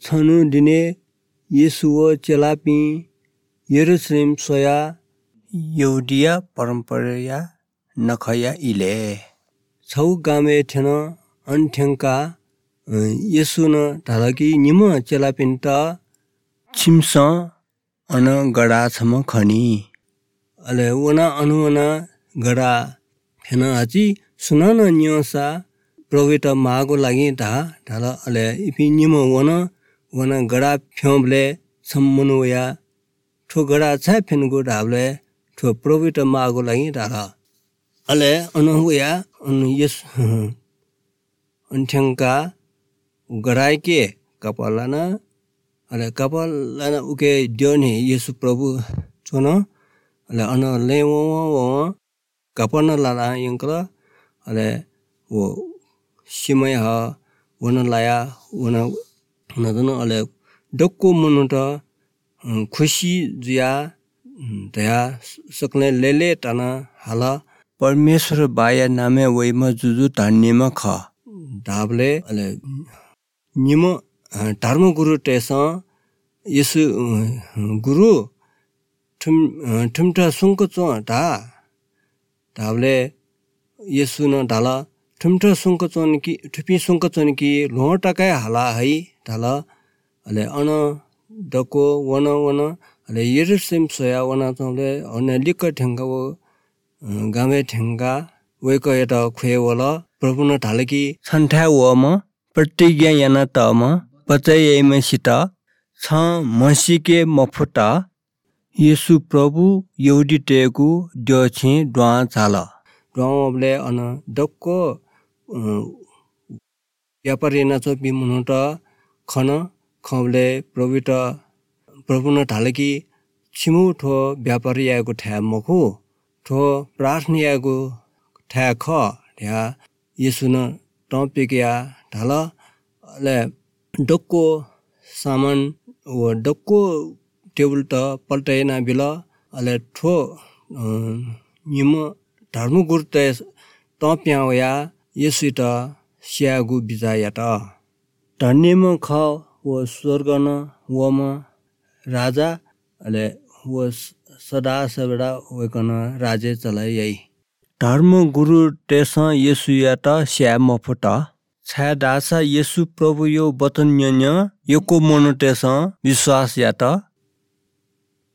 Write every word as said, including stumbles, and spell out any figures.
छन्‍हु दिने येशू व चेलापिं यरूशलेम स्‍वयाः यहूदिया परम्‍पराया नखःया इलय् छगू गामय् थ्‍यन। अन थ्‍यंकाः येशूं धाल कि निम्‍ह चेलापिन्‍त छिमिसं अन गधा छम्‍ह खनी। अले वना अन वना गधा फ्‍यन हाची सुनानं न्‍यंसा प्रभुयात माःगु लागि धा धाल। अले इपिं निम्‍ह वन वना गधा फ्‍यंबलय् छम्‍ह मनू वयाः थ्‍व गधा छाय् फ्‍यनेगु धाबलय् थ्‍व प्रभुयात माःगु लागि धाल। अले अन वयाः अन येशू अन थ्‍यंकाः गधाय् कपाल लाना। अले कपाल लाना उके द्यःने येशू प्रभु च्‍वन। अले अन लँय् वं वं कपाल लाना यंकल। अले व सिमय ह वन लाया वन नदन। अले दक्‍व मनूत खुसी जुयाः धया सकलें लय्‌लय् ताना हाल, परमेश्‍वर बाःया नामय् वइम्‍ह जुजु धन्‍यम्‍ह खः धाबलय् अले निम्‍ह धर्मगुरुतय्‌सं येशू गुरु थुम थुमित सुङ्क च्‍वँ धा धाबलय् येशूं धाल, थुमित सुङ्क च्‍वने कि थुपिं सुङ्क च्‍वने कि ल्‍वहं तकं हाला हइ धाल। अले अन दक्‍व वन वन अले यरूशलेम स्‍वयाः वनाच्‍वंबलय् अन लिक्‍क थ्‍यंकः व गामय् थ्‍यंकाः वय्‌कःयात ख्‍वये वल। प्रभुं धाल कि छन्‍थाय् वःम्‍ह प्रतिज्ञा यानातःम्‍ह बचय् याइम्‍हय्‌सित छं म्‍हसीके मफुत। येशू प्रभु यहूदीतय्‌गु द्यःछें द्वाः झाल। द्वाः वंबलय् अन दक्‍व व्‍यापार यानाच्‍वंपिं मनूत खन। खंबलय् प्रभुयात प्रभुं धाल कि छिमु थ्‍व व्‍यापार यायेगु थाय् मखु, थ्‍व प्रार्थना यायेगु थाय् खः धयाः येशूं तं पिकयाः धाल। अले दक्‍व सामान व दक्‍व टेबुलत पल्‍टइ यानाबिल। अले थ्‍व निम्‍ह धर्मगुरुतय् तं पिहां वयाः येशूयात स्‍यायेगु बिचाः यात। धन्‍यम्‍ह खः व स्‍वर्गं वःम्‍ह राजा, अले व सदा सर्वदा वय्‌कलं राज्‍य चले याइ। धर्मगुरुतय्‌सं येशूयात स्‍याये मफुत, छाय्‌धाःसा येशू प्रभुया वचन न्‍यन्‍य यक्‍व मनूतय्‌सं विश्‍वास यात।